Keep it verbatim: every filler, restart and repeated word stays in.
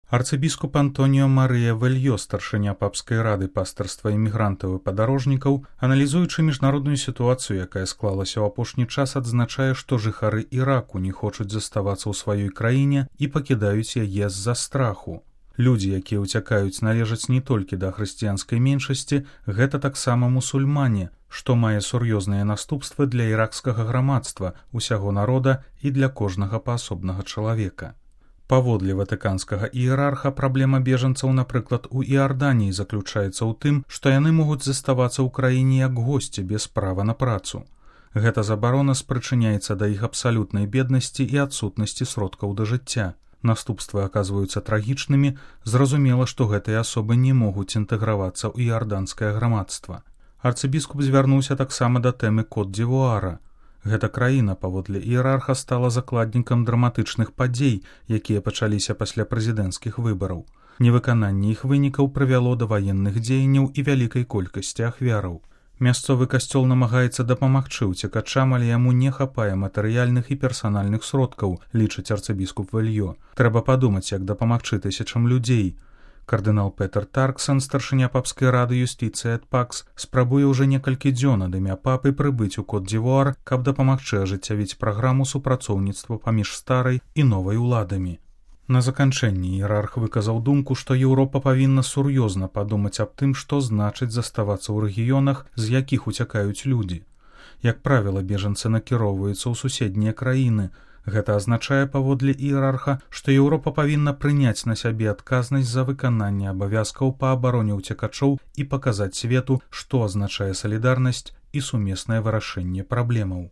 Арцыбіскуп Антоніо Марыя Вельё, старшыня папскай рады пастырства імігрантаў і падарожнікаў, аналізуючы міжнародную сітуацыю, якая склалася ў апошні час, адзначае, што жыхары Іраку не хочуць заставацца ў сваёй краіне і пакідаюць яе з-за страху. Людзі, якія ўцякаюць, належаць не толькі да хрысціянскай меншасці, гэта таксама мусульмане, што мае сур'ёзныя наступствы для іракскага грамадства, усяго народа і для кожнага паасобнага чалавека. Паводле ватыканскага іерарха, праблема бежанцаў, напрыклад, у Іарданіі заключаецца ў тым, што яны могуць заставацца ў краіне як госці без права на працу. Гэта забарона спрычыняецца да іх абсалютнай беднасці і адсутнасці сродкаў да жыцця. Наступствы аказваюцца трагічнымі, зразумела, што гэтыя асобы не могуць інтэгравацца ў іарданскае грамадства. Арцыбіскуп звярнуўся таксама да тэмы Кот-д'Івуара. Гэта краіна, паводле іерарха, стала закладнікам драматычных падзей, якія пачаліся пасля прэзідэнцкіх выбараў. Невыкананне іх вынікаў прывяло да ваенных дзеянняў і вялікай колькасці ахвяраў. Мясцовы касцёл намагаецца дапамагчы ўцекачам, але яму не хапае матэрыяльных і персанальных сродкаў, лічыць арцыбіскуп Вельё. Трэба падумаць, як дапамагчы тысячам людзей. Кардынал Петер Тарксон, старшыня папскай рады юстыцыі эт пакс, спрабуе ўжо некалькі дзён ад імя папы прыбыць у Кот-д'Івуар, каб дапамагчы ажыццявіць праграму супрацоўніцтва паміж старай і новай уладамі. На заканчэнні іерарх выказаў думку, што Еўропа павінна сур'ёзна падумаць аб тым, што значыць заставацца ў рэгіёнах, з якіх уцякаюць людзі. Як правіла, бежанцы накіроўваюцца ў суседнія краіны. Гэта азначае, паводле іерарха, што Еўропа павінна прыняць на сябе адказнасць за выкананне абавязкаў па абароне ўцекачоў і паказаць свету, што азначае салідарнасць і сумеснае вырашэнне праблемаў.